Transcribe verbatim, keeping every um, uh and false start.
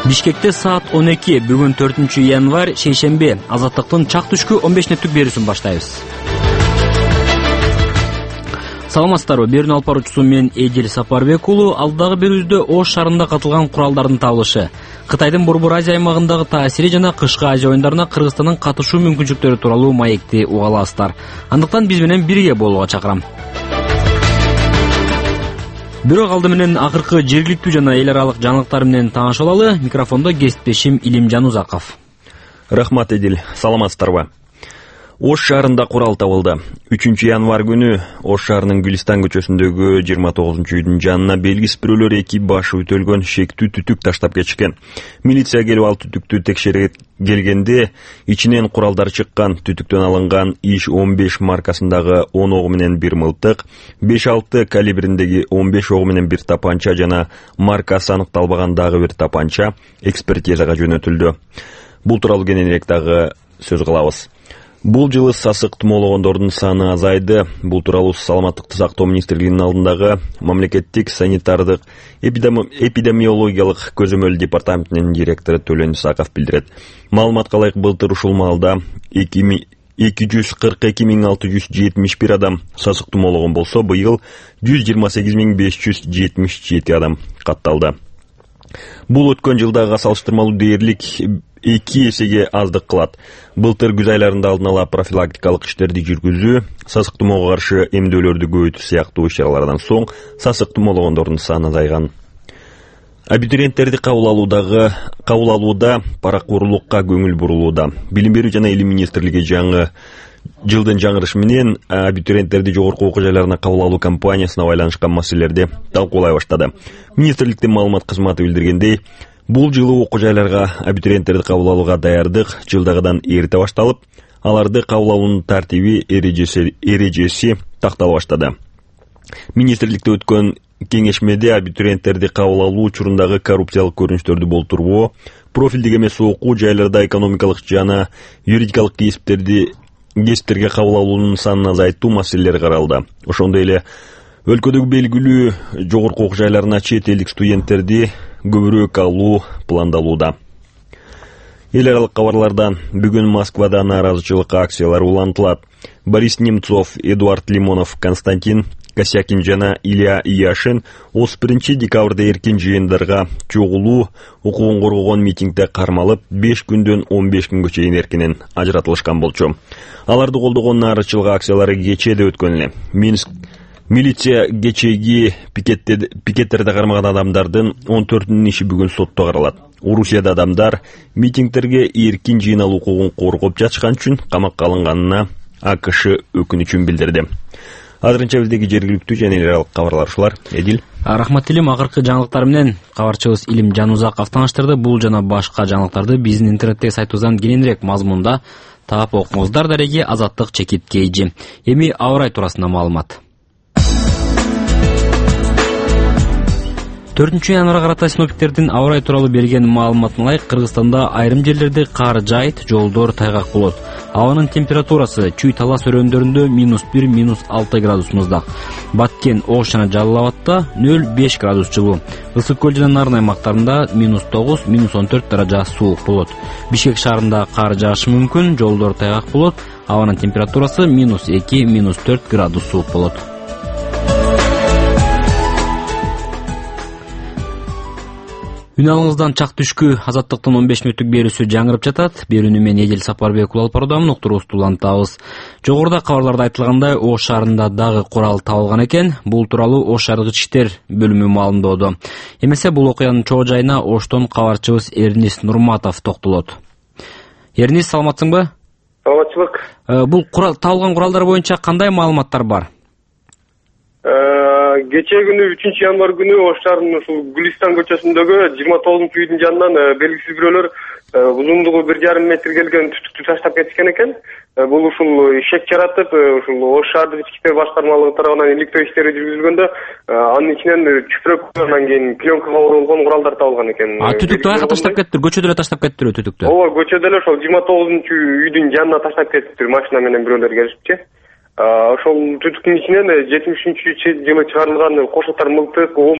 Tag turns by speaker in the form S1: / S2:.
S1: Бишкекте саат он эки, бүгүн төртүнчү январь, шейшемби. Азаттыктын чак түшкү он беш мүнөттүк берүүсүн баштайбыз. Саламатсыздарбы, берүүнү алып баруучусу мен Эдил Сапарбек уулу. Алдагы берүүбүздө Ош шаарында катылган куралдардын табылышы, Кытайдын Борбор Азия аймагындагы таасири жана кышкы Азия оюндарына Кыргызстандын катышуу мүмкүнчүлүктөрү тууралуу маекти уга аласыздар. Андыктан биз менен бирге болууга чакырам. Бирок алды менен акыркы жергиликтүү жана эл аралык жаңылыктар менен тааныша алалы. Микрофондо кесиптешим Илимжан Узаков.
S2: Рахмат, Эдил. Саламатсыздарбы. Ош шаарында курал табылды. үчүнчү январь күнү Ош шаарынын Гүлистан көчөсүндөгү жыйырма тогузунчу үйдүн жанына белгисиз бирөөлөр эки башы ütөлгөн шектүү түтүк таштап кетишкен. Милиция келип ал түтүктү текшере келгенде ичинен куралдар чыккан. Түтүктөн алынган иш он беш маркасындагы он огу менен бир мылтык, беш алты калибриндеги он беш огу менен бир тапанча жана маркасы аныкталбаган дагы бир тапанча экспертизага жөнөтүлдү. Бул тууралуу кененирээк дагы сөз кылабыз. Бул жылы сасык тумоологондордун саны азайды. Бул тууралуу Саламаттыкты сактоо министрлигинин алдындагы мамлекеттик санитардык эпидемиологиялык көзөмөл департаментинин директору Төлөн Исаков билдирет. Маалыматка ылайык, былтыр ушул маалда эки жүз кырк эки миң алты жүз жетимиш бир адам сасык тумоологон болсо, быйыл жүз жыйырма сегиз миң беш жүз жетимиш жети адам катталды. Бул өткөн жылдагыга салыштырмалуу дээрлик эки эсеге аздык кылат. Былтыр күз айларында алдын ала профилактикалык иштерди жүргүзүү, сасык тумоого каршы эмдөөлөрдү көбөйтүү сыяктуу иш-чаралардан соң сасык тумоологондордун саны азайган. Абитуриенттерди кабыл алуудагы кабыл алууда паракорлукка көңүл бурулууда. Билим берүү жана илим министрлиги жаңы жылдын жаңырышы менен абитуриенттерди жогорку окуу жайларына кабыл алуу кампаниясына байланышкан маселелерди талкуулай баштады. Министрликтин маалымат кызматы билдиргендей, бул жылы окуу жайларга абитуриенттерди кабыл алууга даярдык жылдагыдан эрте башталып, аларды кабыл алуунун тартиби эрежеси эрежеси тактала баштады. Министрликте өткөн кеңешмеде абитуриенттерди кабыл алуу учурундагы коррупциялык көрүнүштөрдү болтурбоо, профилдик эмес окуу жайларда экономикалык жана юридикалык кесиптерди кесиптерге кабыл алуунун санын азайтуу маселелери каралды. Ошондой эле өлкөдөгү белгилүү жогорку окуу жайларына чет элдик студенттерди көбүрөөк алуу пландалууда. Эл аралык кабарлардан: бүгүн Москвада нааразычылык акциялары улантылат. Борис Немцов, Эдуард Лимонов, Константин Косякин жана Илья Яшин отуз биринчи декабрда эркин жыйындарга чогулуу укугун коргогон митингде кармалып, беш күндөн он беш күнгө чейин эркинен ажыратылышкан болчу. Аларды колдогон нааразычылык акциялары кечээ да өткөн эле. Минск Милиция кечеги пикеттерде кармаган адамдардын он төртүнүн иши бүгүн сотто каралат. Орусияда адамдар митингтерге эркин жыйналуу укугун коргоп жатышкан үчүн камакка алынганына АКШ өкүнүчүн билдирди. Азырынча биздеги жергиликтүү жана эл аралык кабарлар ушулар. Эдил.
S1: Рахмат Илим, акыркы жаңылыктар менен кабарчыбыз Илимжан Узаков тааныштырды. Бул жана башка жаңылыктарды биздин интернеттеги сайтыбыздан кененирээк мазмунда таап окуңуздар. Дареги Азаттык чекит кейжи. Эми аба ырайы туурасында маалымат. төртүнчү январга карата синоптиктердин аба ырайы тууралуу берген маалыматына ылайык, Кыргызстанда айрым жерлерде кар жаайт, жолдор тайгак болот. Абанын температурасы Чүй Талас өрөөндөрүндө минус бир минус алты градус муздак. Баткен, Ош жана Жалал Абадта нөл беш градус жылуу. Ысык көл жана Нарын аймактарында минус тогуз минус он төрт даража суук болот. Бишкек шаарында кар жаашы мүмкүн, жолдор тайгак болот. Абанын температурасы минус эки минус төрт градус суук болот. Үн алыңыздан чак түшкү Азаттыктын он беш мүнөттүк берүүсү жаңырып жатат. Берүүнү мен Эдил Сапарбек уулу алып баруудамын. Уктуруубузду улантабыз. Жогоруда кабарларда айтылгандай, Ош шаарында дагы курал табылган экен. Бул тууралуу Ош шаардык ички иштер бөлүмү маалымдоодо. Эмесе бул окуянын чоо жайына Оштон кабарчыбыз Эрнис Нурматов токтолот. Эрнис, саламатсыңбы?
S3: Саламатчылык.
S1: Бул курал табылган куралдар боюнча кандай маалыматтар бар?
S3: Кечээ күнү үчүнчү январь күнү Ош шаарынын ушул Гүлистан көчөсүндөгү жыйырма тогузунчу үйдүн жанынан белгисиз бирөөлөр узундугу бир жарым метр келген түтүктү таштап кетишкен экен. Бул ушул шек жаратып, ушул Ош шаардык ички иштер башкармалыгы тарабынан иликтөө иштери жүргүзүлгөндө, анын ичинен чүпүрөк, анан кийин пленкага оролгон куралдар табылган экен.
S1: А түтүктү каяка таштап кеттир? Көчөдө эле таштап кеттирби түтүктү?
S3: Ооба, көчөдө эле ошол жыйырма тогузунчу үйдүн жанына таштап кетиптир, машина менен бирөөлөр келишипчи. Ошол түтүктүн ичинен жетимиш үчүнчү жылы чыгарылган кошотор мылтык,